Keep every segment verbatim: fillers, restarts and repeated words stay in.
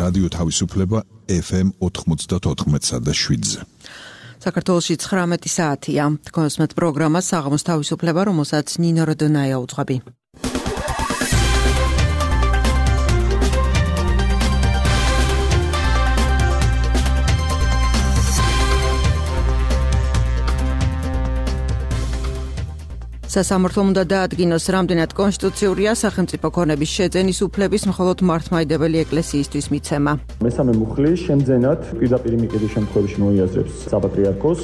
რადიო თავისუფლება ეფ ემ ოთხმოცდაოთხ და შვიდზე. საქართველოში ცხრამეტი საათია. თქოსმეთ პროგრამა საღამოს თავისუფლება, რომელსაც ნინო როდონაია უძღვები. სასამართლომ უნდა დაადგინოს, რამდენად კონსტიტუციურია სახელმწიფო ქონების შეძენის უფლების მხოლოდ მართლმადიდებელი ეკლესიისთვის მიცემა. მესამე მუხლი შემძენად პირდაპირ მიყიდვის შემთხვევაში მოიაზრებს საპატრიარქოს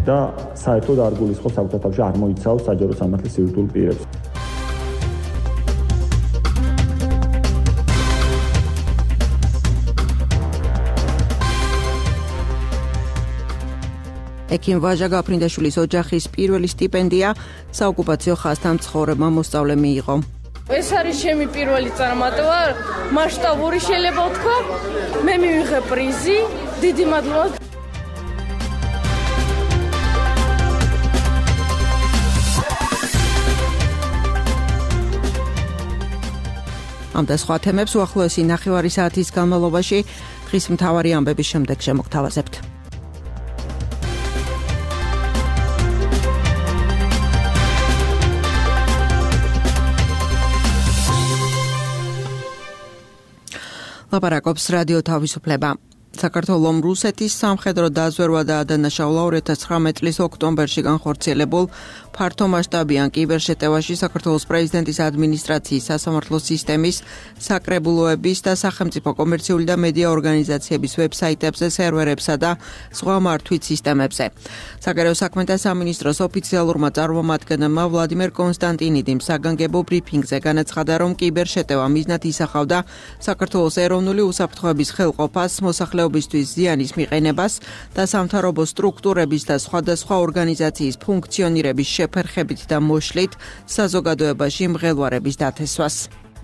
და საერთოდ არ გულისხმობს საკუთარ თავში არ მოიცავს საჯარო სამართლის სივრცულ პირებს. ექიმ ვაჟა გაფრინდაშვილის ოჯახის პირველი სტიპენდია საოკუპაციო ხაზთან მცხოვრებმა მოსწავლემ მიიღო. ეს არის ჩემი პირველი წარმატება, მასშტაბური შეიძლება ვთქვა. მე მივიღე პრიზი, დიდი მადლობა. ამ და სხვა თემებს უახლოესი ნახევარი საათის განმავლობაში დღის მთავარი ამბების შემდეგ შემოგთავაზებთ. ლაპარაკობს რადიო თავისუფლება. საქართველოს რუსეთის სამხედრო დაზვერვა და ადანაშაულა ორი ათას ცხრამეტი წლის ოქტომბერში განხორციელებულ ფართომასშტაბიან კიბერშეტევაში საქართველოს პრეზიდენტის ადმინისტრაციის, სასამართლო სისტემის, საკრებულოების და სახელმწიფო კომერციული და მედია ორგანიზაციების ვებსაიტებზე, სერვერებსა და სხვა მართვით სისტემებზე. საგარეო საქმეთა სამინისტროს ოფიციალურმა წარმომადგენელმა ვლადიმერ კონსტანტინიდიმ საგანგებო ბრიფინგზე განაცხადა, რომ კიბერშეტევა მიზნად ისახავდა საქართველოს ეროვნული უსაფრთხოების ხელყოფას, მოსახლეობისთვის ზიანის მიყენებას და სამთავრობო სტრუქტურების და სხვადასხვა ორგანიზაციის ფუნქციონირების შეფერხებით და მოშლით საზოგადოებაში მღელვარების დათესვას.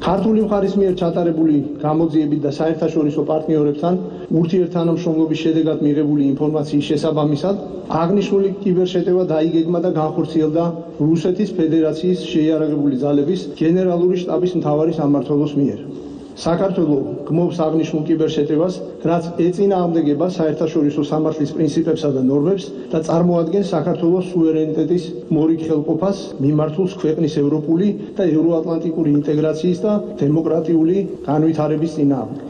ქართული მხარის მიერ ჩატარებული გამოძიებით და საერთაშორისო პარტნიორებთან ურთიერთთანამშრომლობის შედეგად მიღებული ინფორმაციის შესაბამისად აღნიშნული კიბერშეტევა დაიგეგმა და განხორციელდა რუსეთის ფედერაციის შეიარაღებული ძალების გენერალური შტაბის მთავარი სამმართველოს მიერ. საქართველოს გმობს აღნიშნულ კიბერშეტევას, რაც ეწინააღმდეგება საერთაშორისო სამართლის პრინციპებსა და ნორმებს და წარმოადგენს საქართველოს სუვერენიტეტის მორიგ-ხელყოფას მიმართულს ქვეყნის ევროპული და ევროატლანტიკური ინტეგრაციის და დემოკრატიული განვითარების წინააღმდეგ.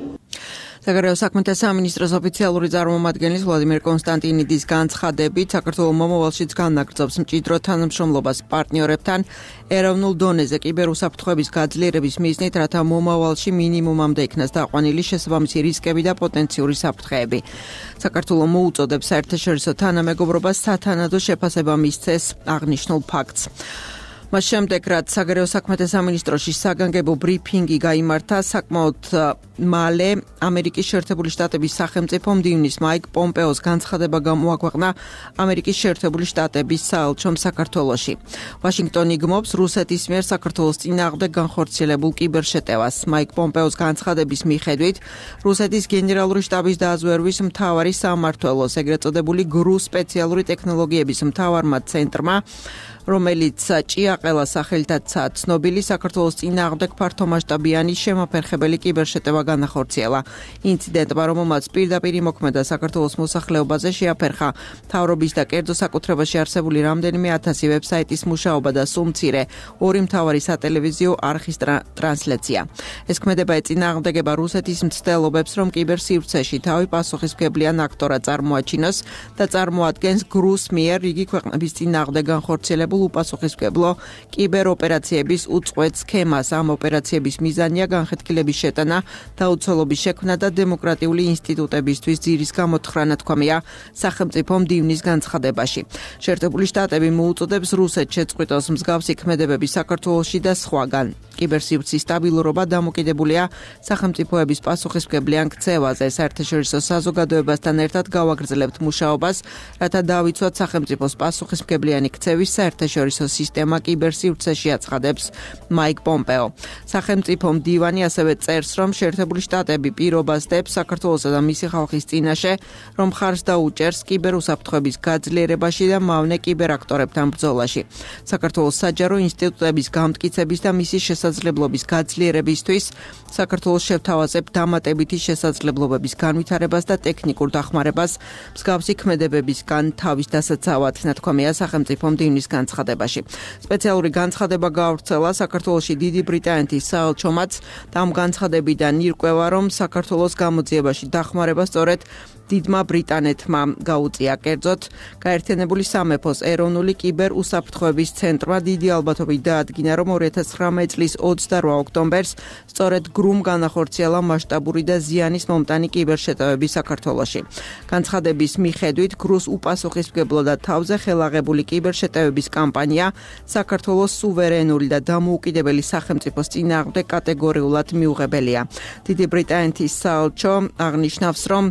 საგარეო საქმეთა სამინისტროს ოფიციალური წარმომადგენლის ვლადიმერ კონსტანტინიდის განცხადებით, საქართველოს მომავალშიც განაგრძობს მჭიდრო თანამშრომლობას პარტნიორებთან ეროვნულ დონეზე კიბერუსაფრთხოების გაძლიერების მიზნით, რათა მომავალში მინიმუმამდე იქნას დაყვანილი შესაბამისი რისკები და პოტენციური საფრთხეები. საქართველოს მოუწოდებს საერთაშორისო თანამეგობრობას სათანადო შეფასება მისცეს აღნიშნულ ფაქტს. მას შემდეგ, რაც საგარეო საქმეთა სამინისტროში საგანგებო ბრიფინგი გაიმართა, საკმაოდ მალე ამერიკის შეერთებული შტატების სახელმწიფო მდივნის მაიკ პომპეოს განცხადება გამოაქვეყნა ამერიკის შეერთებული შტატების საელჩომ საქართველოში. ვაშინგტონი გმობს რუსეთის მიერ საქართველოს წინააღმდეგ განხორციელებულ კიბერშეტევას. მაიკ პომპეოს განცხადების მიხედვით, რუსეთის გენერალური შტაბის დაზვერვის მთავარი სამმართველოს, ეგრეთ წოდებული გრუ სპეციალური ტექნოლოგიების მთავარმა ცენტრმა, რომელიც ჭიაყელა სახელითაცაა ცნობილი, საქართველოს წინააღმდეგ ფართომასშტაბიანი შემაფერხებელი კიბერშეტევა განახორციელა. ინციდენტმა, რომელმაც პირდაპირ იმოქმედა საქართველოს მოსახლეობაზე, შეაფერხა მთავრობის და კერძო საკუთრებაში არსებული რამდენიმე ათასი ვებსაიტის მუშაობა და სულ მცირე ორი მთავარი სატელევიზიო არხის ტრანსლაცია. ეს ქმედება ეწინააღმდეგება რუსეთის მცდელობებს, რომ კიბერსივრცეში თავი პასუხისმგებლიან აქტორად წარმოაჩინოს და წარმოადგენს გრუს მიერ იგი ქვეყნების წინააღმდეგ განხორციელებულ უპასუხისმგებლო კიბეროპერაციების უწყვეტ სქემას. ამ ოპერაციების მიზანია განხეთქილების შეტანა, დაუცველობის შექმნა და დემოკრატიული ინსტიტუტებისთვის ძირის გამოთხრანა, თქვამია სახელმწიფო მდივნის განცხადებაში. შეერთებული შტატები მოუწოდებს რუსეთს შეწყვიტოს მსგავსი ქმედებები საქართველოში და სხვაგან. კიბერსივრცის სტაბილურობა დამოკიდებულია სახელმწიფოების პასუხისმგებლიან ქცევაზე. საერთაშორისო საზოგადოებასთან ერთად გავაგრძელებთ მუშაობას, რათა დავიცვათ სახელმწიფოს პასუხისმგებლიანი ქცევის საერთაშორისო საერთაშორისო სისტემა კიბერსივრცეში აცხადებს მაიკ პომპეო. სახელმწიფო მდივანი ასევე წერს, რომ შეერთებული შტატები პირობას დებს საქართველოსა და მისი ხალხის წინაშე, რომ ხარს დაუჭერს კიბერუსაფრთხოების გაძლიერებაში და მავნე კიბერაქტორებთან ბრძოლაში. საქართველოს საჯარო ინსტიტუტების გამტკიცების და მისი შესაძლებლობის გაძლიერებისთვის საქართველოს შევთავაზებ დამატებითი შესაძლებლობების განვითარებას და ტექნიკურ დახმარებას მსგავსი ქმედებებისგან თავის დასაცავად, ნათქვამია სახელმწიფო მდივნის განცხადებაში. სპეციალური განცხადება გაავრცელა საქართველოში დიდი ბრიტანეთის საელჩომაც და ამ განცხადებიდან ირკვევა, რომ საქართველოს გამოძიებაში დახმარება სწორედ დიდმა ბრიტანეთმა გაუწია. კერძოდ, გაერთიანებული სამეფოს ეროვნული კიბერუსაფრთხოების ცენტრმა დიდი ალბათობით დაადგინა, რომ ორი ათას ცხრამეტი წლის ოცდარვა ოქტომბერს სწორედ გრუმ განახორციელა მასშტაბური და ზიანის მომტანი კიბერშეტევები საქართველოში. განცხადების მიხედვით, გრუს უპასუხისმგებლო და თავზე ხელაღებული კიბერშეტევების კამპანია საქართველოს სუვერენული და დამოუკიდებელი სახელმწიფოს წინააღმდეგ კატეგორიულად მიუღებელია. დიდი ბრიტანეთის საელჩო აღნიშნავს, რომ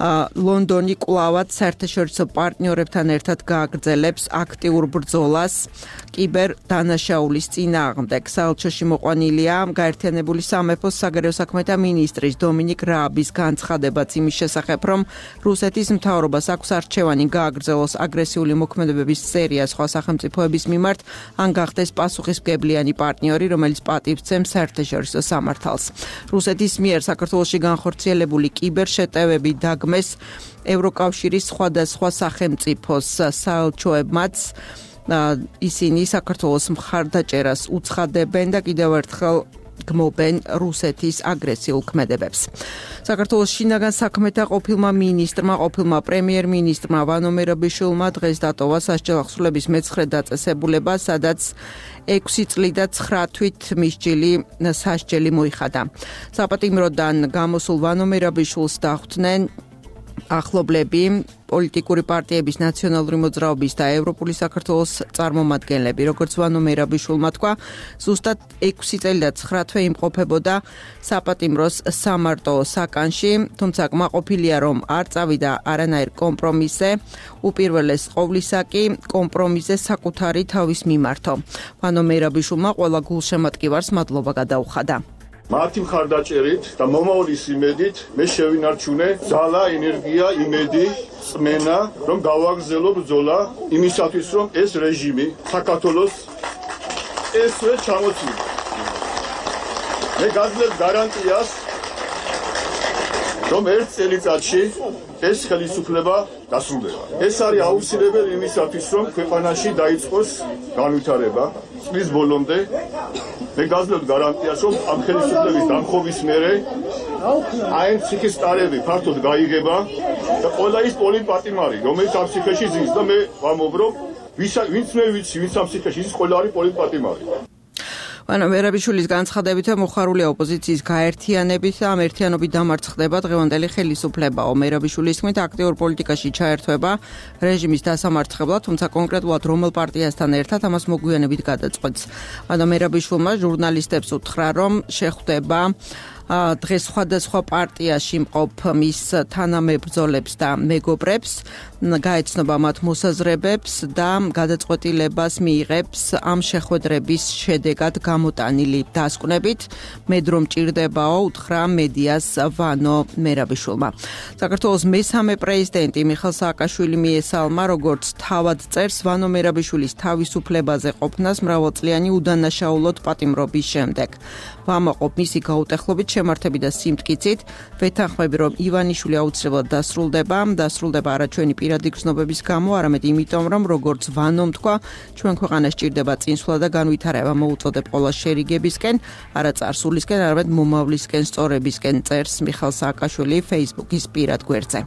ლონდონი კვლავად საერთაშორისო პარტნიორებთან ერთად გააგრძელებს აქტიურ ბრძოლას კიბერ დანაშაულის წინააღმდეგ. საელჩოში მოყვანილია გაერთიანებული სამეფოს საგარეო საქმეთა მინისტრის დომინიკ რააბის განცხადებაც იმის შესახებ, რომ რუსეთის მთავრობას აქვს არჩევანი გააგრძელოს აგრესიული მოქმედებების სერია სხვა სახელმწიფოების მიმართ, ან გახდეს პასუხისმგებლიანი პარტნიორი, რომელიც პატივს სცემს საერთაშორისო სამართალს. რუსეთის მიერ საქართველოში განხორციელებული კიბერშეტევები დაგმ ევროკავშირის სხვადასხვა სახელმწიფოს საელჩოებმაც ისინი საქართველოს მხარდაჭერას უცხადებენ და კიდევ ერთხელ გმობენ რუსეთის აგრესიულ ქმედებებს. საქართველოს შინაგან საქმეთა ყოფილმა მინისტრმა, ყოფილმა პრემიერ-მინისტრმა ვანო მერაბიშვილმა დღეს დატოვა სასჯელ აღსრულების მეცხრე დაწესებულება, სადაც ექვსი წლი და ცხრა თვით მისჯილი სასჯელი მოიხადა. საპატიმროდან გამოსულ ვანო მერაბიშვილს დახვდნენ ახლობლები, პოლიტიკური პარტიების, ნაციონალური მოძრაობის და ევროპული საქართველოს წარმომადგენლები. როგორც ვანო მერაბიშვილმა თქვა, ზუსტად ექვსი წელი და ცხრა თვე იმყოფებოდა საპატიმროს სამარტო საკანში, თუმცა კმაყოფილია, რომ არ წავიდა არანაირ კომპრომისზე, უპირველეს ყოვლისა კი კომპრომისზე საკუთარი თავის მიმართო. ვანო მერაბიშვილმა ყველა გულშემატკივარს მადლობა გადაუხადა. მათი მხარდაჭერით და მომავლის იმედით მე შევინარჩუნე ძალა, ენერგია, იმედი, წმენა, რომ გავაგრძელო ბრძოლა იმისათვის, რომ ეს რეჟიმი საქართველოს ესვე ჩამოწვიოს. მე გაძლევ გარანტიას, რომ ერთ წელიწადში ეს ხელისუფლება დასრულდება. ეს არის აუცილებელი იმისათვის, რომ ქვეყანაში დაიწყოს განვითარება წლის ბოლომდე. მე გაძლევ გარანტიას, რომ ამ ხელისუფლების დამხობის მერე აი ციხის ტარები ფართოდ გაიგება და ყველა ის პოლიტპატიმარი, რომელიც ამ ციხეში ზის და მე ვამობ, ვინც მე ვიცი, ვინც ამ ციხეში ზის, ყველა არის პოლიტპატიმარი. ვანო მერაბიშვილის განცხადებით მოხარულია ოპოზიციის გაერთიანებით და ამ ერთიანობით დამარცხდება დღევანდელი ხელისუფლებაო. მერაბიშვილის თქმით, აქტიურ პოლიტიკაში ჩაერთვება რეჟიმის დასამარცხებლად, თუმცა კონკრეტულად რომელ პარტიასთან ერთად ამას მოგვიანებით გადაწყვეტს. ვანო მერაბიშვილმა ჟურნალისტებს უთხრა, რომ შეხვდება დღეს სხვადასხვა პარტიაში მყოფ მის თანამებრძოლებს და მეგობრებს, გაეცნობა მათ მოსაზრებებს და გადაწყვეტილებას მიიღებს ამ შეხვედრების შედეგად გამოტანილი დასკვნებით. მედრო მჭირდებაო, უთხრა მედიას ვანო მერაბიშვილმა. საქართველოს მესამე პრეზიდენტი მიხეილ სააკაშვილი მიესალმა, როგორც თავად წერს, ვანო მერაბიშვილის თავისუფლებაზე ყოფნას მრავალწლიანი უდანაშაულოდ პატიმრობის შემდეგ. ვამაყობ მისი გაუტეხლობით შემართები და სიმტკიცით, ვეთანხმები, რომ ივანიშვილი აუცილებლად დასრულდება, დასრულდება არა ჩვენი პირადი გრძნობების გამო, არამედ იმიტომ, რომ როგორც ვანომ თქვა, ჩვენ ქვეყანას სჭირდება წინსვლა და განვითარება, მოუწოდებ ყველა შერიგებისკენ, არა წარსულისკენ, არამედ მომავლისკენ, სწორებისკენ, წერს მიხეილ სააკაშვილი Facebook-ის პირად გვერდზე.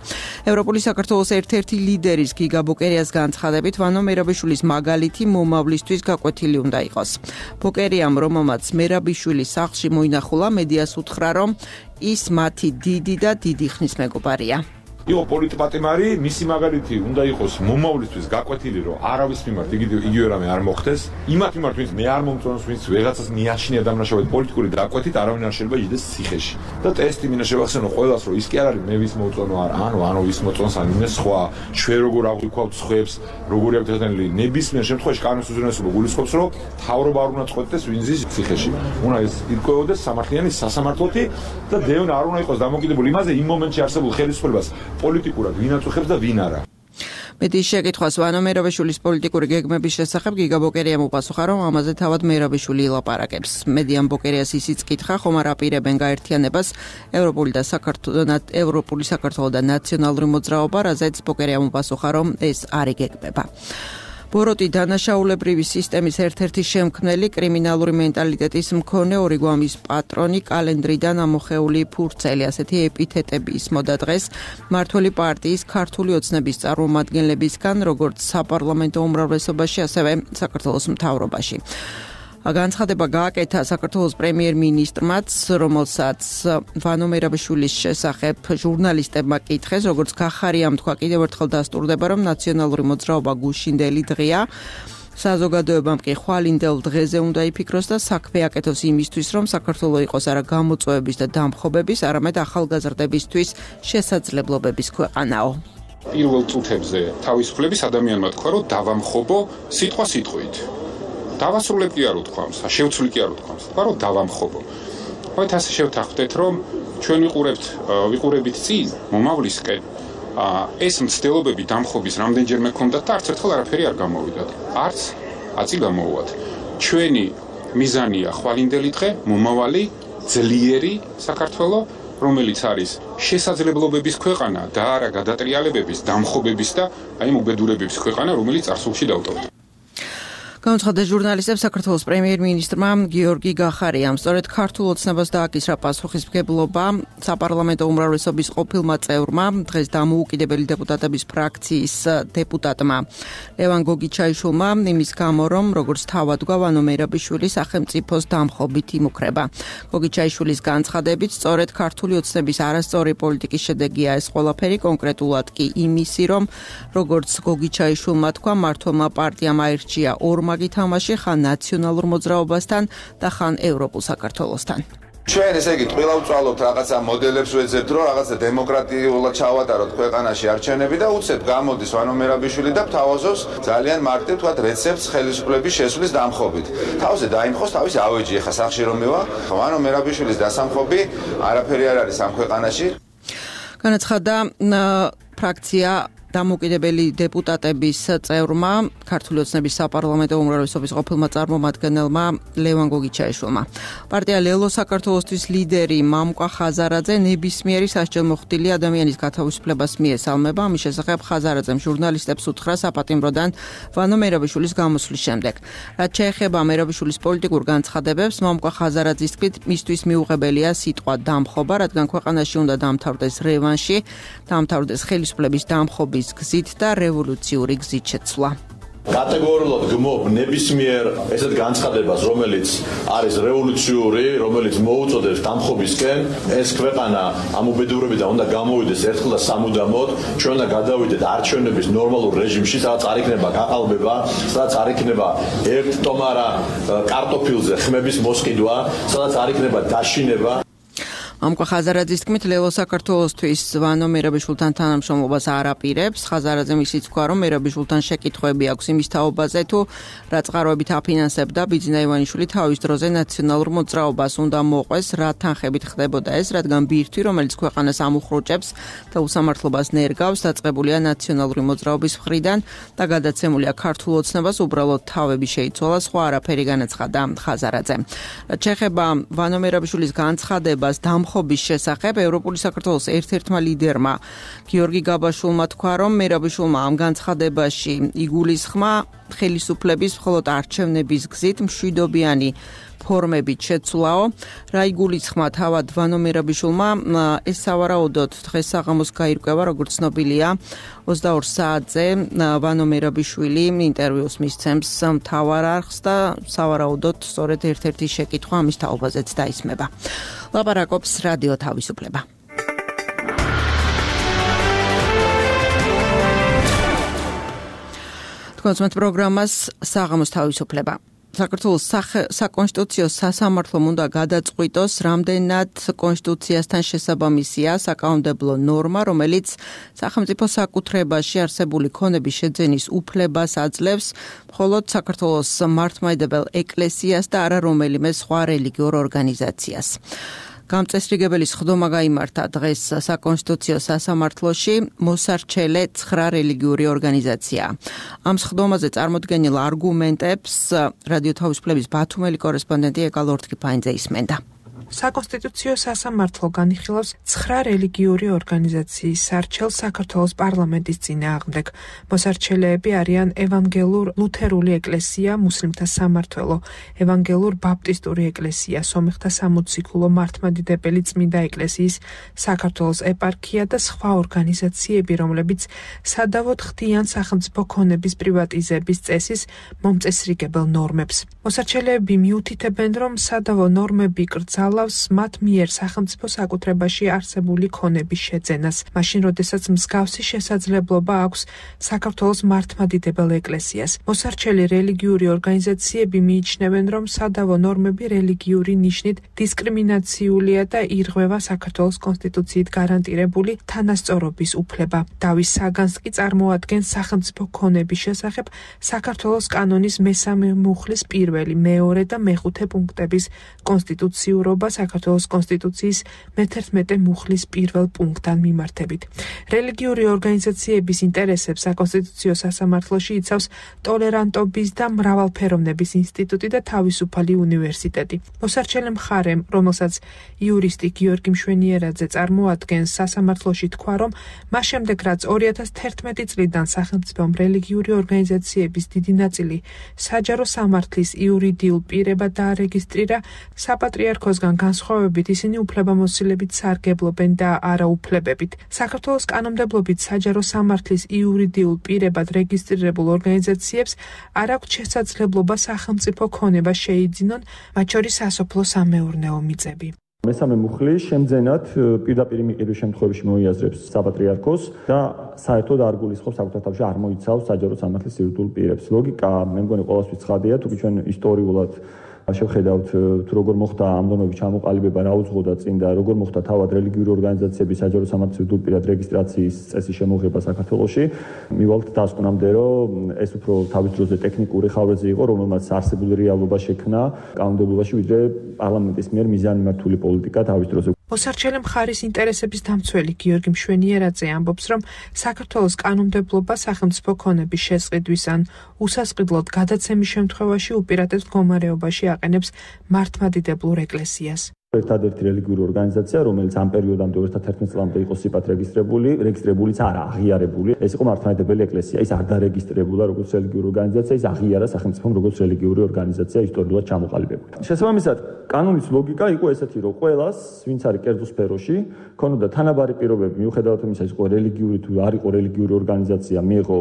ევროპული საქართველოს ერთ-ერთი ლიდერის გიგა ბოკერიას განცხადებით, ვანო მერაბიშვილის მაგალითი მომავლისთვის გაკვეთილი უნდა იყოს. ბოკერიამ, რომელმაც მერაბიშვილის სახლში მოინახულა, მედიას უთხრა, რომ ის მათი დიდი და დიდი ხნის მეგობარია. იყო პოლიტპატიმარი, მისი მაგალითი უნდა იყოს მომავლისთვის გაკვეთილი, რომ არავის მიმართ იგივე რამე არ მოხდეს. იმათ მიმართ, ვინც მე არ მომწონს, ვინც ვიღაცას მიაჩნია დამნაშავედ პოლიტიკური დაკვეთით, არავინ არ შეიძლება იდეს ციხეში. და ტესტი მინდა შევახსენო ყველას, რომ ის კი არ არის მე ვის მოწონო არ, ანუ ანუ ვის მოწონს ან იმეს სხვა, ჩვენ როგორ აღვიქვავთ სხვებს, როგორი აქვს დათანილი, ნებისმიერ შემთხვევაში კანონის უზრუნველყოფა გულისხმობს, რომ თავრობა არ უნდა წყვეტდეს ვინც ის ციხეში. უნდა ის ირკვეოდეს სამართლიანი სასამართლოთი და დევნა არ უნდა იყოს დამოკიდებული იმაზე, იმ მომენტში არსებულ ხელისუფლებას პოლიტიკურად ვინ აწუხებს და ვინ არა. მედიის შეკითხვას ვანო მერაბიშვილის პოლიტიკური გეგმების შესახებ გიგა ბოკერიამ უპასუხა, რომ ამაზე თავად მერაბიშვილი ილაპარაკებს. მედიამ ბოკერიას ისიც კითხა, ხომ არ აპირებენ გაერთიანებას ევროპული და საქართველოს ევროპული საქართველოს და ნაციონალური მოძრაობა, რაზეც ბოკერიამ უპასუხა, რომ ეს არ იგეგმება. ბოროტი დანაშაულებრივი სისტემის ერთ-ერთი შემქმნელი, კრიმინალური მენტალიტეტის მქონე, ორი გვამის პატრონი, კალენდრიდან ამოხეული ფურცელი, ასეთი ეპითეტები ისმოდა დღეს მმართველი პარტიის ქართული ოცნების წარმომადგენლებისგან, როგორც საპარლამენტო უმრავლესობაში, ასევე საქართველოს მთავრობაში. განცხადება გააკეთა საქართველოს პრემიერ-მინისტრმაც, რომელსაც ვანო მერაბიშვილის შესახებ ჟურნალისტებმა კითხეს, როგორც გახარიამ თქვა, კიდევ ერთხელ დასტურდება, რომ ნაციონალური მოძრაობა გუშინდელი დღეა. საზოგადოებამ კი ხვალინდელ დღეზე უნდა იფიქროს და საქმე აკეთოს იმისთვის, რომ საქართველო იყოს არა გამოწვევების და დამხობების, არამედ ახალგაზრდებისთვის შესაძლებლობების ქვეყანაო. პირველ წუთებზე თავისუფლების ადამიანმა თქვა, რომ დავამხობო სიტყვა სიტყვით. დავასრულებ კი არ უთქვამს, შევცვლი კი არ უთქვამს, თქვა რომ დავამხობო. მოით ასე შევთანხმდეთ, რომ ჩვენ ვიყურებთ ვიყურებით წინ მომავლისკენ, ეს მცდელობები დამხობის რამდენჯერმე ქონდათ და არც ერთხელ არაფერი არ გამოვიდათ. არც აწი გამოვუათ. ჩვენი მიზანია ხვალინდელი დღე, მომავალი, ძლიერი საქართველო, რომელიც არის შესაძლებლობების ქვეყანა და არა გადატრიალებების, დამხობების და აი უბედურებების ქვეყანა, რომელიც წარსულში დავტოვდა. განცხადა ჟურნალისტებს საქართველოს პრემიერ-მინისტრმა გიორგი გახარიამ. სწორედ ქართულ ოცნებას დააკისრა პასუხისმგებლობა საპარლამენტო უმრავლესობის ყოფილმა წევრმა, დღეს დამოუკიდებელი დეპუტატების ფრაქციის დეპუტატმა ლევან გოგიჩაიშვილმა, იმის გამო, რომ როგორც თავად თქვა, ვანო მერაბიშვილი სახელმწიფოს დამხობით იმუქრება. გოგიჩაიშვილის განცხადებით, სწორედ ქართული ოცნების არასწორი პოლიტიკის შედეგია ეს ყველაფერი, კონკრეტულად კი იმისი, რომ როგორც გოგიჩაიშვილმა თქვა, მმართველმა პარტიამ აირჩია ორმა გითამაში ხან ნაციონალურ მოძრაობასთან და ხან ევროპულ საქართველოსთან. ჩვენ ესე იგი ტყილა ვწვალოთ რაღაცა მოდელებს ვეძებთ, რომ რაღაცა დემოკრატიულად ჩავატაროთ ქვეყანაში არჩევნები და უცებ გამოდის ვანო მერაბიშვილი და თავაზობს ძალიან მარტივ თქვა რეცეპტს ხელისუფლების შესვლის დამხობით. თავზე დაიმხოს თავის ავეჯი, ახლა სახში რომ მევა, ვანო მერაბიშვილის დასამხობი არაფერი არ არის ამ ქვეყანაში. განაცხადა ფრაქცია დამოუკიდებელი დეპუტატების წევრმა, ქართული ოცნების საპარლამენტო უმრავლესობის ყოფილმა წარმომადგენელმა ლევან გოგიჩაიშვილმა. პარტია ლელო საქართველოსთვის ლიდერი მამკვა ხაზარაძე ნებისმიერი სასჯელმოხდილი ადამიანის გათავისუფლებას მიესალმება. ამის შესახებ ხაზარაძემ ჟურნალისტებს უთხრა საპატიმროდან ვანო მერაბიშვილის გამოსვლის შემდეგ. რაც შეეხება მერაბიშვილის პოლიტიკურ განცხადებებს, მამკვა ხაზარაძის თქმით, მისთვის მიუღებელია სიტყვა დამხობა, რადგან ქვეყანაში უნდა დამთავრდეს რევანში, დამთავრდეს ხელისუფლების დამხობის გზით და რევოლუციური გზით შეცვლა. კატეგორიულად გმობ ნებისმიერ ესეთ განცხადებას, რომელიც არის რევოლუციური, რომელიც მოუწოდებს დამხობისკენ, ეს ქვეყანა ამ უბედურებიდან უნდა გამოვიდეს ერთხელ და სამუდამოდ, ჩვენ უნდა გადავიდეთ არჩევნების ნორმალურ რეჟიმში, სადაც არ იქნება გაყალბება, სადაც არ იქნება ერთ ტომარა კარტოფილზე ხმების მოსყიდვა, სადაც არ იქნება დაშინება. ამკვა ხაზარაძის თქმით, ლელო საქართველოსთვის ვანო მერაბიშვილთან თანამშრომლობას არ აპირებს. ხაზარაძემ ისიც თქვა, რომ მერაბიშვილთან შეკითხვები აქვს იმის თაობაზე, თუ რა წყაროებით აფინანსებდა ბიძინა ივანიშვილი თავის დროზე ნაციონალურ მოძრაობას უნდა მოყვეს, რა თანხებით ხდებოდა ეს, რადგან ბირთვი, რომელიც ქვეყანას ამუხრუჭებს და უსამართლობას ნერგავს, დაწყებულია ნაციონალური მოძრაობის მხრიდან და გადაცემულია ქართულ ოცნებას, უბრალოდ თავები შეიცვალა, სხვა არაფერი განაცხადა ხაზარაძემ. რაც შეეხება ვანო მერაბიშვილის განცხადებას ხობის შესახებ, ევროპული საქართველოს ერთ-ერთმა ლიდერმა გიორგი გაბაშვილმა თქვა, რომ მერაბიშვილმა ამ განცხადებაში იგულისხმა ხელისუფლების მხოლოდ არჩევნების გზით მშვიდობიანი ფორმებით შეცვლაო. რა იგულისხმა თავად ვანო მერაბიშვილმა, ეს სავარაუდოდ დღეს საღამოს გაირკვევა, როგორც ცნობილია, ოცდაორ საათზე ვანო მერაბიშვილი ინტერვიუს მისცემს მთავარ არხს და სავარაუდოდ სწორედ ერთ-ერთი შეკითხვა ამის თაობაზეც დაისმება. ლაპარაკობს რადიო თავისუფლება. თქვენს პროგრამას საღამოს თავისუფლება. საქართველოს საკონსტიტუციო სასამართლომ უნდა გადაწყვიტოს, რამდენად კონსტიტუციასთან შესაბამისია საკანონმდებლო ნორმა, რომელიც სახელმწიფო საკუთრებაში არსებული ქონების შეძენის უფლებას აძლევს მხოლოდ საქართველოს მართლმადიდებელ ეკლესიას და არა რომელიმე სხვა რელიგიურ ორგანიზაციას. გამწესრიგებელი სხდომა გაიმართა დღეს საკონსტიტუციო სასამართლოში მოსარჩელე ცხრა რელიგიური ორგანიზაცია. ამ სხდომაზე წარმოდგენილ არგუმენტებს რადიო თავისუფლების ბათუმელი კორესპონდენტი ეკა ლორთქიფაინძე ისმენდა. საკონსტიტუციო სასამართლო განიხილავს ცხრა რელიგიური ორგანიზაციის სარჩელს საქართველოს პარლამენტის წინააღმდეგ. მოსარჩელეები არიან ევანგელურ ლუთერული ეკლესია, მუსლიმთა სამმართველო, ევანგელურ ბაპტისტური ეკლესია, სომეხთა სამოციქულო მართლმადიდებელი წმინდა ეკლესიის საქართველოს ეპარქია და სხვა ორგანიზაციები, რომლებიც სადავოდ ხდიან სახელმწიფო ქონების პრივატიზების წესის მომწესრიგებელ ნორმებს. მოსარჩელეები მიუთითებენ, რომ სადავო ნორმები კრძალავს მათ მიერ სახელმწიფო საკუთრებაში არსებული ქონების შეძენას, მაშინ როდესაც მსგავსი შესაძლებლობა აქვს საქართველოს მართლმადიდებელ ეკლესიას. მოსარჩელი რელიგიური ორგანიზაციები მიიჩნევენ, რომ სადავო ნორმები რელიგიური ნიშნით დისკრიმინაციულია და ირღვევა საქართველოს კონსტიტუციით გარანტირებული თანასწორობის უფლება. დავის საგანს კი წარმოადგენს სახელმწიფო ქონების შესახებ საქართველოს კანონის მესამე მუხლის პირველი, მეორე და მეხუთე პუნქტების კონსტიტუციურობა საქართველოს კონსტიტუციის მეთერთმეტე მუხლის პირველ პუნქტთან მიმართებით. რელიგიური ორგანიზაციების ინტერესებს საკონსტიტუციო სასამართლოში იცავს ტოლერანტობის და მრავალფეროვნების ინსტიტუტი და თავისუფალი უნივერსიტეტი. მოსარჩელე მხარემ, რომელსაც იურისტი გიორგი მშვენიერაძე წარმოადგენს, სასამართლოში თქვა, რომ მას შემდეგ, რაც ორი ათას თერთმეტი წლიდან სახელმწიფომ რელიგიური ორგანიზაციების დიდი ნაწილი საჯარო სამართლის იურიდიულ პირებად დაარეგისტრირა, საპატრიარქოსგან განსხვავებით ისინი უფლებამოსილებით სარგებლობენ და არა უფლებებით. საქართველოს კანონმდებლობით საჯარო სამართლის იურიდიულ პირებად რეგისტრირებულ ორგანიზაციებს არ აქვთ შესაძლებლობა სახელმწიფო ქონება შეიძინონ, მათ შორის სასოფლო-სამეურნეო მიწები. მესამე მუხლი შემძენად პირდაპირ მიყიდვის შემთხვევაში მოიაზრებს საპატრიარქოს და საერთოდ არ გულისხმობს საკუთარ თავში არ მოიცავს საჯარო სამართლის იურიდიულ პირებს. ლოგიკა მე მგონი ყოველთვის ცხადია, თუკი ჩვენ ისტორიულად შევხედავთ თუ როგორ მოხდა ამ ნორმების ჩამოყალიბება, რა უძღოდა წინ და როგორ მოხდა თავად რელიგიური ორგანიზაციების საჯარო სამართლის იურიდიულ პირად რეგისტრაციის წესის შემოღება საქართველოში. მივალთ დასკვნამდე, რომ ეს უფრო თავის დროზე ტექნიკური ხარვეზე იყო, რომელმაც არსებული რეალობა შექმნა კანონმდებლობაში, ვიდრე პარლამენტის მიერ მიზანმიმართული პოლიტიკა თავის დროზე. მოსარჩელე მხარის ინტერესების დამცველი გიორგი მშვენიერაძე ამბობს, რომ საქართველოს კანონმდებლობა სახელმწიფო ქონების შესყიდვის ან უსასყიდლოდ გადაცემის შემთხვევაში უპირატეს მდგომარეობაში აყენებს მართლმადიდებლურ ეკლესიას. ერთადერთი რელიგიური ორგანიზაცია, რომელიც ამ პერიოდამდე ორი ათას თერთმეტ წლამდე იყო სიპათ რეგისტრებული, რეგისტრებულიც არა, აღიარებული. ეს იყო მართლმადიდებელი ეკლესია, ის არ დარეგისტრებულა როგორც რელიგიური ორგანიზაცია, ის აღიარა სახელმწიფომ როგორც რელიგიური ორგანიზაცია ისტორიულად ჩამოყალიბებული. შესაბამისად, კანონის ლოგიკა იყო ესეთი, რომ ყველას, ვინც არის კერძო სფეროში, ქონოდა თანაბარი პირობები, მიუხედავად იმისა, ის იყო რელიგიური თუ არ იყო რელიგიური ორგანიზაცია, მიიღო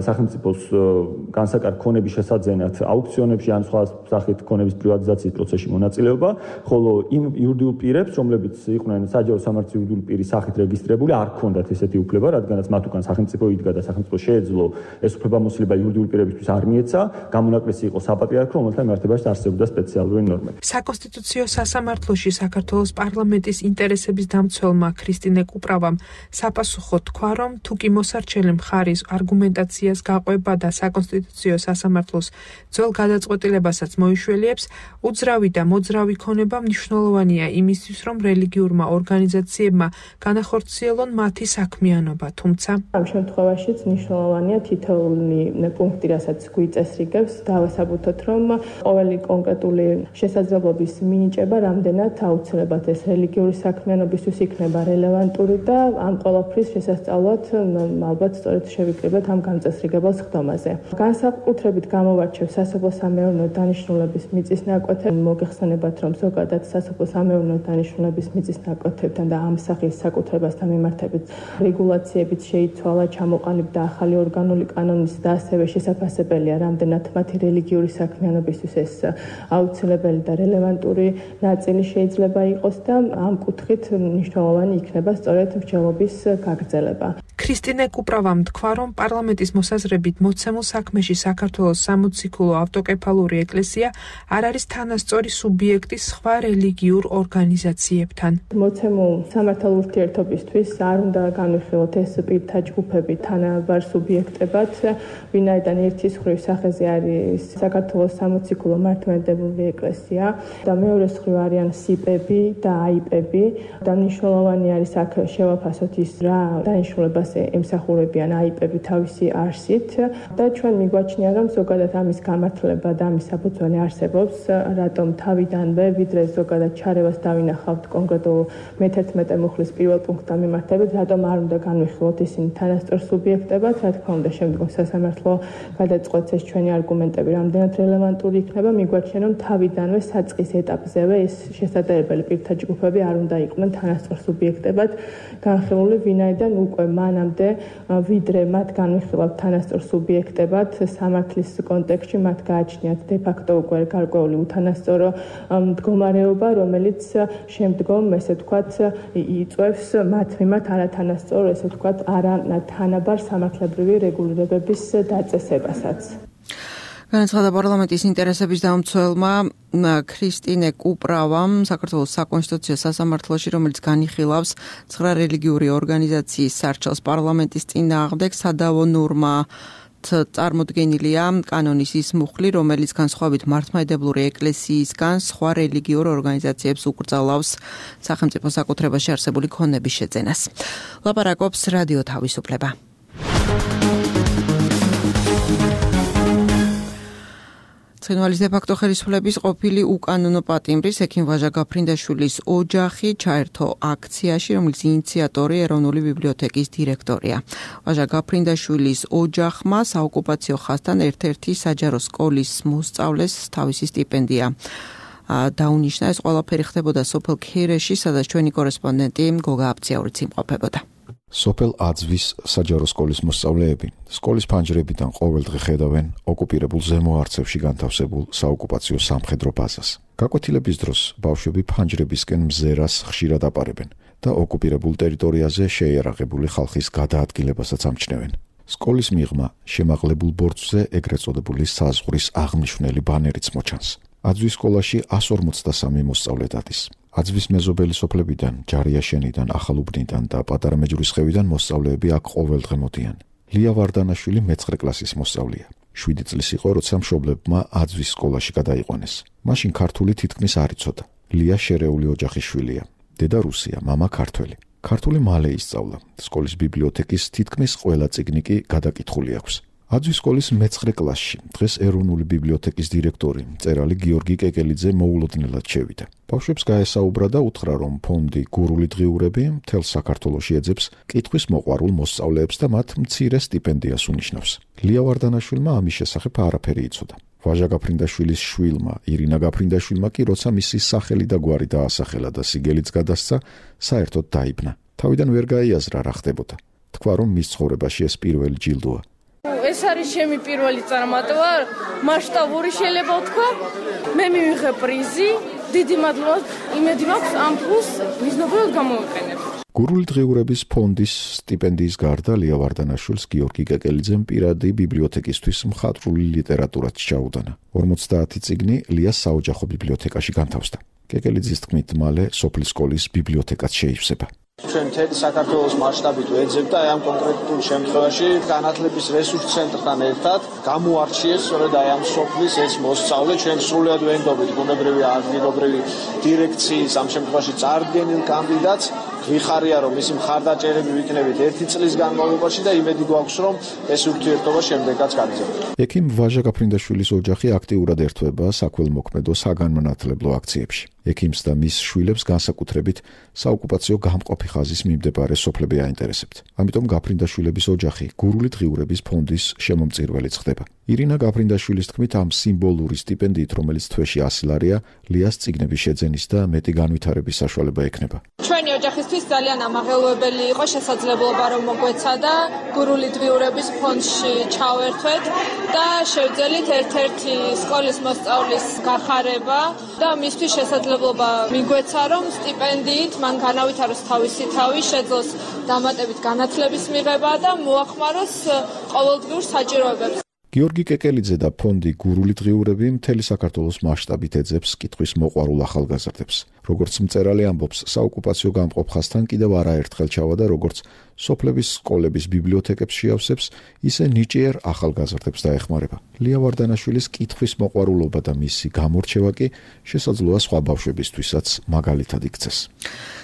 სახელმწიფოს განსაკარ ქონების შესაძენად აუქციონებში ან სხვა სახით ქონების პრივატიზაციის პროცესში მონაწილეობა, ხოლო იმ იურიდიულ პირებს, რომლებიც იყვნენ საჯარო სამართლის იურიდიული პირის სახით რეგისტრებული, არ ჰქონდათ ესეთი უფლება, რადგანაც მათ უკან სახელმწიფო იდგა და სახელმწიფო შეეძლო ეს უფლებამოსილება იურიდიული პირებისთვის არ მიეცა, გამონაკლისი იყო საპატრიარქო, რომელთა მიმართებაში არსებობდა სპეციალური ნორმები. საკონსტიტუციო სასამართლოში საქართველოს პარლამენტის ინტერესების დამცველმა ქრისტინე კუპრავამ საპასუხო თქვა, რომ თუ კი მოსარჩელე მხარის არგუმენტაციას გაყვება და საკონსტიტუციო სასამართლოს ძველ გადაწყვეტილებასაც მოიშველიებს, უძრავი და მოძრავი ქონება მნიშვნელოვანია იმისთვის, რომ რელიგიურმა ორგანიზაციებმა განახორციელონ მათი საქმიანობა, თუმცა ამ შემთხვევაშიც მნიშვნელოვანია თითოეული პუნქტი, რასაც გვიწესრიგებს, დავასაბუთოთ, რომ ყოველი კონკრეტული შესაძლებლობის მინიჭება რამდენად აუცილებლად ეს რელიგიური საქმიანობისთვის იქნება რელევანტური და ამ ყველაფრის შესასწავლად ალბათ სწორედ შევიკრიბეთ ამ გამწესრიგებელ სხდომაზე. განსაკუთრებით გამოვარჩევ სასოფლო-სამეურნეო დანიშნულების მიწის ნაკვეთები. მოგეხსენებათ, რომ ზოგადად სასოფლო-სამეურნეო დანიშნულების მიწის ნაკვეთებთან და ამ სახის საკუთრებასთან მიმართებით რეგულაციებიც შეიცვალა, ჩამოყალიბდა ახალი ორგანული კანონის და ასევე შესაძლებელია რამდენად მათი რელიგიური საქმიანობისთვის ეს აუცილებელი და რელევანტური ნაწილი შეიძლება იყოს და ამ კუთხით მნიშვნელოვანი იქნება სწორედ მსჯელობის გაგრძელება. ქრისტინე კუპრავამ თქვა, რომ პარლამენტის მოსაზრებით მოცემულ საქმეში საქართველოს სამოციქულო ავტოკეფალური ეკლესია არ არის თანასწორი სუბიექტი სხვა რელიგიურ ორგანიზაციებთან. მოცემულ სამართალ ურთიერთობისთვის არ უნდა განვიხილოთ ეს პირთა ჯგუფები თანაბარ სუბიექტებად, ვინაიდან ერთის მხრივ სახეზე არის საქართველოს სამოციქულო მართლმადიდებლური ეკლესია და მეორეს მხრივ არიან სიპები და აიპები. და მნიშვნელოვანი არის აქ შევაფასოთ ის რა დანიშნულებას ემსახურებიან აიპები თავისი არსით და ჩვენ მიგვაჩნია, რომ ზოგადად ამის გამართლება და ამის საფუძველი არსებობს, რატომ თავიდანვე ვიდრე ზოგადად ჩარევას დავინახავთ კონკრეტულ მეთერთმეტე მუხლის პირველ პუნქტთან მიმართებით, რატომ არ უნდა განვიხილოთ ისინი თანასწორ სუბიექტებად, რა თქმა უნდა შემდგომ სასამართლო გადაწყვეტს ეს ჩვენი არგუმენტები რამდენად რელევანტური იქნება, მიგვაჩნია, რომ თავიდანვე საწყის ეტაპზევე ეს შესაძლებელი პირთა ჯგუფები არ უნდა იყვნენ თანასწორ სუბიექტებად განხილული, ვინაიდან უკვე მანამდე ვიდრე მათ განვიხილავთ თანასწორ სუბიექტებად სამართლის კონტექსტში მათ გააჩნიათ de facto უკვე გარკვეული უთანასწორო მდგომარეობა, რომელიც შემდგომ ესე ვთქვათ იწვევს მათ მიმართ არათანასწორო ესე ვთქვათ არათანაბარ სამართლებრივი რეგულირებების დაწესებასაც. განაცხადა პარლამენტის ინტერესების დამცველმა ქრისტინე კუპრავამ საქართველოს საკონსტიტუციო სასამართლოში, რომელიც განიხილავს ცხრა რელიგიური ორგანიზაციის სარჩელს პარლამენტის წინააღმდეგ, სადავო ნორმა წარმოდგენილია კანონის ის მუხლი, რომელიც განსხვავებით მართლმადიდებლური ეკლესიისგან სხვა რელიგიურ ორგანიზაციებს უკრძალავს სახელმწიფო საკუთრებაში არსებული ქონების შეძენას. ლაპარაკობს რადიო თავისუფლება. ცხინვალის დე-ფაქტო ხელისუფლების ყოფილი უკანონო პატიმრის ექიმ ვაჟა გაფრინდაშვილის ოჯახი ჩაერთო აქციაში, რომლის ინიციატორი ეროვნული ბიბლიოთეკის დირექტორია. ვაჟა გაფრინდაშვილის ოჯახმა საოკუპაციო ხაზთან ერთ-ერთი საჯარო სკოლის მოსწავლეს თავისი სტიპენდია დაუნიშნა. ეს ყველაფერი ხდებოდა სოფელ ქერეში, სადაც ჩვენი კორესპონდენტი გოგა აბციაურიც იმყოფებოდა. სოფელ აძვის საჯარო სკოლის მოსწავლეები სკოლის ფანჯრებიდან ყოველდღე ხედავენ ოკუპირებულ ზემო არცევში განთავსებულ საოკუპაციო სამხედრო ბაზას. გაკვეთილების დროს ბავშვები ფანჯრებისკენ მზერას ხშირად აპარებენ და ოკუპირებულ ტერიტორიაზე შეიარაღებული ხალხის გადაადგილებასაც ამჩნევენ. სკოლის მიღმა შემაღლებულ ბორცვზე ეგრეთ წოდებული საზღვრის აღმნიშვნელი ბანერიც მოჩანს. აძვის სკოლაში εκατს ორმოცდასამი მოსწავლე დადის. აძვის მეზობელი სოფლებიდან, ჯარიაშენიდან, ახალუბნიდან და პატარა მეჯვრისხევიდან მოსწავლეები აქ ყოველდღე მოდიან. ლია ვარდანაშვილი მეცხრე კლასის მოსწავლეა. შვიდი წლის იყო, როცა მშობლებმა აძვის სკოლაში გადაიყვანეს. მაშინ ქართული თითქმის არ იცოდა. ლია შერეული ოჯახის შვილია. დედა რუსია, მამა ქართველი. ქართული მალე ისწავლა. სკოლის ბიბლიოთეკის თითქმის ყველა წიგნი კი გადაკითხული აქვს. აძვის სკოლის მეცხრე კლასში დღეს ეროვნული ბიბლიოთეკის დირექტორი მწერალი გიორგი კეკელიძე მოულოდნელად შევიდა. ბავშვებს გაესაუბრა და უთხრა, რომ ფონდი გურული დღიურები მთელ საქართველოში ეძებს კითხვის მოყვარულ მოსწავლეებს და მათ მცირე სტიპენდიას უნიშნავს. ლია ვარდანაშვილმა ამის შესახებ არაფერი იცოდა. ვაჟა გაფრინდაშვილის შვილმა ირინა გაფრინდაშვილმა კი როცა მისი სახელი და გვარი დაასახელა და სიგელიც გადასცა, საერთოდ დაიბნა. თავიდან ვერ გაიაზრა რა ხდებოდა. თქვა, რომ მის ცხოვრებაში ეს პირველი ჯილდოა. ეს არის ჩემი პირველი წარმატება, მასშტაბური შეიძლება ვთქვა. მე მივიღე პრიზი, დიდი მადლობა. იმედი მაქვს ამ ფულს მიზნობრივად გამოვიყენებ. გურული დღიურების ფონდის სტიპენდიის გარდა ლია ვარდანაშვილს გიორგი კეკელიძემ პირადი ბიბლიოთეკისთვის მხატვრული ლიტერატურაც ჩაუდანა. ორმოცდაათი წიგნი ლიას საოჯახო ბიბლიოთეკაში განთავსდა. კეკელიძის თქმით, მალე სოფლის სკოლის ბიბლიოთეკაც შეივსება. ჩვენ მთელი საქართველოს მასშტაბით ვეძებთ და ამ კონკრეტულ შემთხვევაში განათლების რესურს ცენტრთან ერთად გამოარჩიეს სწორედ აი ამ სოფლის ეს მოსწავლე. ჩვენ სრულად ვენდობით ბუნებრივი ადგილობრივი დირექციის ამ შემთხვევაში წარდგენილ კანდიდატს. ვიხარია, რომ მისი მხარდაჭერები ვიქნებით ერთი წლის განმავლობაში და იმედი გვაქვს, რომ ეს ურთიერთობა შემდეგაც გაგრძელდება. ექიმ ვაჟა გაფრინდაშვილის ოჯახი აქტიურად ერთვება საქველმოქმედო საგანმანათლებლო აქციებში. ექიმს და მის შვილებს განსაკუთრებით საოკუპაციო გამყოფი ხაზის მიმდებარე სოფლები აინტერესებთ. ამიტომ გაფრინდაშვილების ოჯახი გურული დღიურების ფონდის შემომწირველიც ხდება. ირინა გაფრინდაშვილის თქმით, ამ სიმბოლური სტიპენდიით, რომელიც თვეში ასი ლარია, ლიას წიგნების შეძენის და მეტი განვითარების საშუალება ექნება. ჩვენი ოჯახის ჩვენთვის ძალიან ამაღელვებელი იყო შესაძლებლობა რომ მოგვეცადა გურული დღიურების ფონდში ჩავერთვეთ და შევძელით ერთ-ერთი სკოლის მოსწავლის გახარება და მისთვის შესაძლებლობა მიგვეცა რომ სტიპენდიით მან განავითაროს თავისი თავი, შეძლოს დამატებით განათლების მიღება და მოახმაროს ყოველდღიურ საჭიროებებს. გიორგი კეკელიძე და ფონდი გურული დღიურები მთელი საქართველოს მასშტაბით ეძებს კითხვის მოყვარულ ახალგაზრდებს. როგორც მწერალი ამბობს, საოკუპაციო გამყოფ ხაზთან კიდევ არაერთხელ ჩავადა როგორც სოფლების სკოლების ბიბლიოთეკებს შეავსებს, ისე ნიჭიერ ახალგაზრდებს დაეხმარება. ლია ვარდანაშვილის კითხვის მოყვარულობა და მისი გამორჩევა კი შესაძლოა სხვა ბავშვებისთვისაც მაგალითად იქცეს.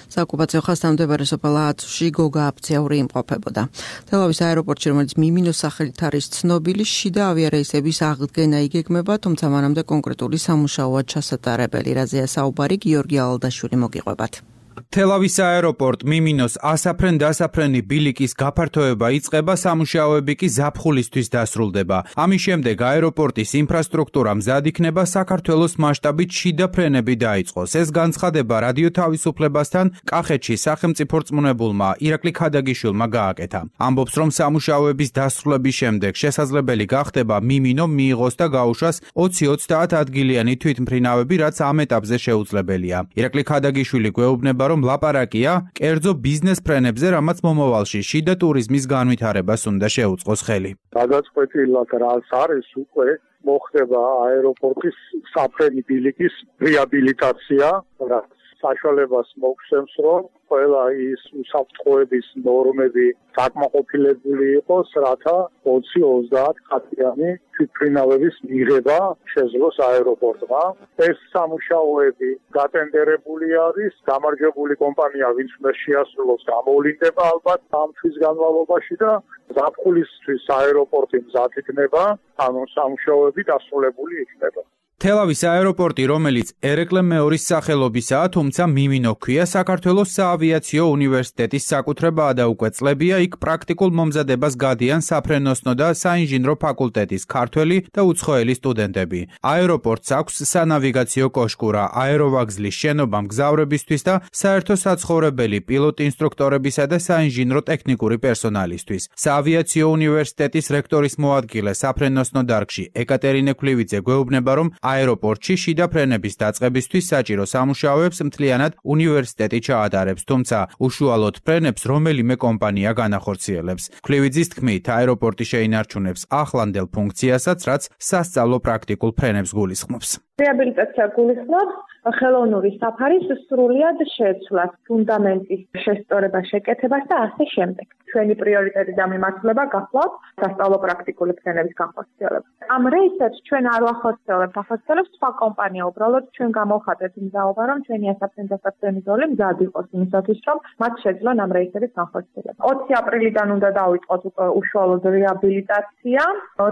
საოკუპაციო ხაზთან მდებარე სოფელ ააცუში გოგა აფციური იმყოფებოდა. თელავის აეროპორტში, რომელიც მიმინოს სახელით არის ცნობილი, შიდა ავიარეისების აღდგენა იგეგმება, თუმცა მანამდე კონკრეტული სამუშაოა ჩასატარებელი. რაზეა საუბარი, გიორგი ალდაშვილი მოგიყვებათ. თელავის აეროპორტ მიმინოს ასაფრენ-დასაფრენი ბილიკის გაფართოება იწყება, სამუშაოები კი ზაფხულისთვის დასრულდება. ამის შემდეგ აეროპორტის ინფრასტრუქტურა მზად იქნება, საქართველოს მასშტაბით შიდა ფრენები დაიწყოს. ეს განცხადება რადიო თავისუფლებასთან კახეთში სახელმწიფო რწმუნებულმა ირაკლი ქადაგიშვილმა გააკეთა. ამბობს, რომ სამუშაოების დასრულების შემდეგ შესაძლებელი გახდება მიმინო მიიღოს და გაუშვას ოცი ოცდაათ ადგილიანი თვითმფრინავები, რაც ამ ეტაპზე შეუძლებელია. ირაკლი ქადაგიშვილი გვეუბნება, რომ ლაპარაკია კერძო ბიზნეს ფრენებზე, რამაც მომავალში შიდა ტურიზმის განვითარებას უნდა შეუწყოს ხელი. გადაწყვეტილად რაც არის უკვე მოხდება აეროპორტის საფრენი ბილიკის რეაბილიტაცია, რაც საშუალებას მოგცემს, რომ ყველა ის უსაფრთხოების ნორმები დაკმაყოფილებული იყოს, რათა ოცი ოცდაათ კატიანი თვითმფრინავების მიღება შეძლოს აეროპორტმა. ეს სამუშაოები გატენდერებული არის, გამარჯვებული კომპანია, ვინც უნდა შეასრულოს, გამოვლინდება ალბათ ამ თვის განმავლობაში და ზაფხულისთვის აეროპორტი მზად იქნება, ანუ სამუშაოები დასრულებული იქნება. თელავის აეროპორტი, რომელიც ერეკლე მეორის სახელობისაა, თუმცა მიმინო ჰქვია, საქართველოს საავიაციო უნივერსიტეტის საკუთრებაა და უკვე წლებია იქ პრაქტიკულ მომზადებას გადიან საფრენოსნო და საინჟინრო ფაკულტეტის ქართველი და უცხოელი სტუდენტები. აეროპორტს აქვს სანავიგაციო კოშკურა, აეროვაგზლის შენობა მგზავრებისთვის და საერთო საცხოვრებელი პილოტ ინსტრუქტორებისა და საინჟინრო ტექნიკური პერსონალისთვის. საავიაციო უნივერსიტეტის რექტორის მოადგილე საფრენოსნო დარგში ეკატერინე ქლივიძე გვეუბნება, რომ აეროპორტში შიდა ფრენების დაწყებისთვის საჭირო სამუშაოებს მთლიანად უნივერსიტეტი ჩაატარებს, თუმცა უშუალოდ ფრენებს რომელიმე კომპანია განახორციელებს. ქლივიძის თქმით, აეროპორტი შეინარჩუნებს ახლანდელ ფუნქციასაც, რაც სასწავლო პრაქტიკულ ფრენებს გულისხმობს. რეაბილიტაცია გულისხმობს ხელოვნური საფარის სრულიად შეცვლას, ფუნდამენტის შესწორებას, შეკეთებას და ასე შემდეგ. ჩვენი პრიორიტეტი და მიმართულება გახლავთ სასწავლო პრაქტიკული ფრენების განხორციელება. ამ რეისებს ჩვენ არ ვახორციელებთ, ახორციელებს სხვა კომპანია, უბრალოდ ჩვენ გამოვხატეთ მზაობა, რომ ჩვენი ასაფრენ-დასაფრენი ზოლი მზად იყოს იმისათვის, რომ მათ შეძლონ ამ რეისების განხორციელება. ოცი აპრილიდან უნდა დავიწყოთ უშუალოდ რეაბილიტაცია,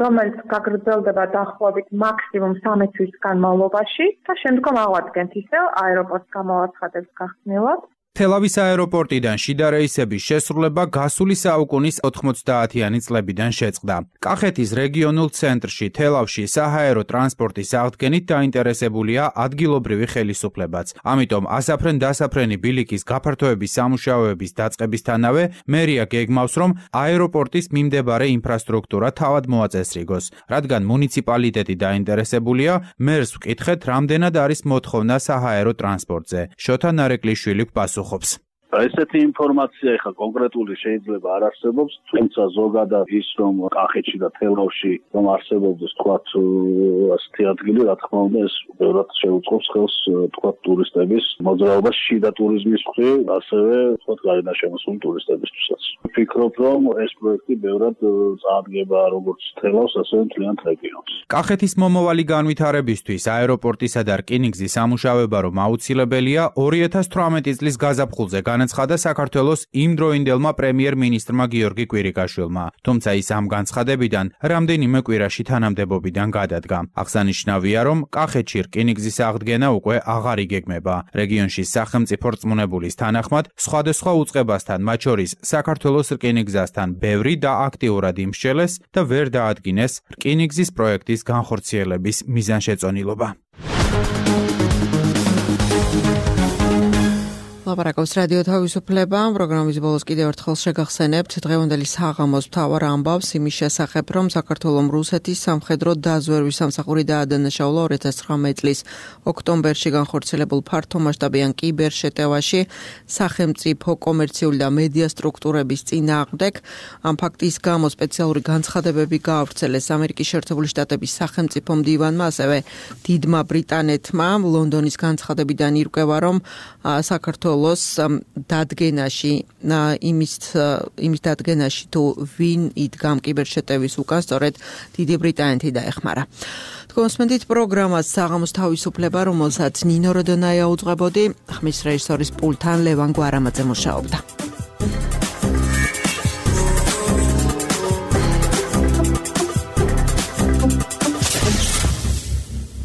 რომელიც გაგრძელდება დაახლოებით მაქსიმუმ სამი თვის განმავლობაში და შემდგომ ავადგენთ ისევ აეროპორტს გამოვაცხადებს გახსნილად. თელავის აეროპორტიდან შიდა რეისების შესრულება გასული საუკუნის ოთხმოცდაათიანი წლებიდან შეწყდა. კახეთის რეგიონულ ცენტრში თელავში საჰაერო ტრანსპორტის აღდგენით დაინტერესებულია ადგილობრივი ხელისუფლებაც. ამიტომ ასაფრენ-დასაფრენი ბილიკის გაფართოების სამუშაოების დაწყებისთანავე მერია გეგმავს, რომ აეროპორტის მიმდებარე ინფრასტრუქტურა თავად მოაწესრიგოს. რადგან მუნიციპალიტეტი დაინტერესებულია, მერს ვკითხეთ, რამდენად არის მოთხოვნა საჰაერო ტრანსპორტზე. შოთა ნარეკვლიშვილი გვპასუხობს. ესეთი ინფორმაცია ეხა კონკრეტული შეიძლება არ არსებობს, თუმცა ზოგადად ის რომ კახეთში და თელავში რომ არსებობდეს თქვათ ასეთი ადგილი, რა თქმა უნდა ეს ბევრად შეუწყობს ხელს თქვათ ტურისტების მოძრაობას შიდა ტურიზმის მხრივ, ასევე თქვათ გარედან შემოსული ტურისტებისთვისაც. ვფიქრობ, რომ ეს პროექტი ბევრად წარადგება როგორც თელავს, ასევე მთლიანად რეგიონს. კახეთის მომავალი განვითარებისთვის აეროპორტისა და რკინიგზის სამუშაოება რომ აუცილებელია, ორი ათას თვრამეტი წლის გაზაფხულზე განაცხადა საქართველოს იმდროინდელმა პრემიერ-მინისტრმა გიორგი კვირიკაშვილმა. თუმცა ის ამ განცხადებიდან რამდენიმე კვირაში თანამდებობიდან გადადგა. აღსანიშნავია, რომ კახეთში რკინიგზის აღდგენა უკვე აღარ იგეგმება. რეგიონში სახელმწიფო რწმუნებულის თანახმად, სხვადასხვა უწყებასთან, მათ შორის საქართველოს რკინიგზასთან ბევრი და აქტიურად იმსჯელეს და ვერ დაადგინეს რკინიგზის პროექტის განხორციელების მიზანშეწონილობა. ლაპარაკობს რადიო თავისუფლება. პროგრამის ბოლოს კიდევ ერთხელ შეგახსენებთ დღევანდელი საღამოს მთავარ ამბავს იმის შესახებ, რომ საქართველოს რუსეთის სამხედრო დაზვერვის სამსახური დაადანაშაულა ორი ათას ცხრამეტი წლის ოქტომბერში განხორციელებულ ფართომასშტაბიან კიბერშეტევაში სახელმწიფო კომერციული და მედია სტრუქტურების წინააღმდეგ. ამ ფაქტის გამო სპეციალური განცხადებები გაავრცელეს ამერიკის შეერთებული შტატების სახელმწიფო მდივანმა, ასევე დიდმა ბრიტანეთმა. ლონდონის განცხადებიდან ირკვევა, რომ საქართველოს დადგენაში იმის იმის დადგენაში თუ ვინ იდგა კიბერშეტევის უკან, სწორედ დიდი ბრიტანეთი დაეხმარა. თქვენსმენთ პროგრამას საღამოს თავისუფლება, რომელსაც ნინო როდონაია უძღვებოდი, ხმის რეჟისორის პულთან ლევან გვარამაძე მუშაობდა.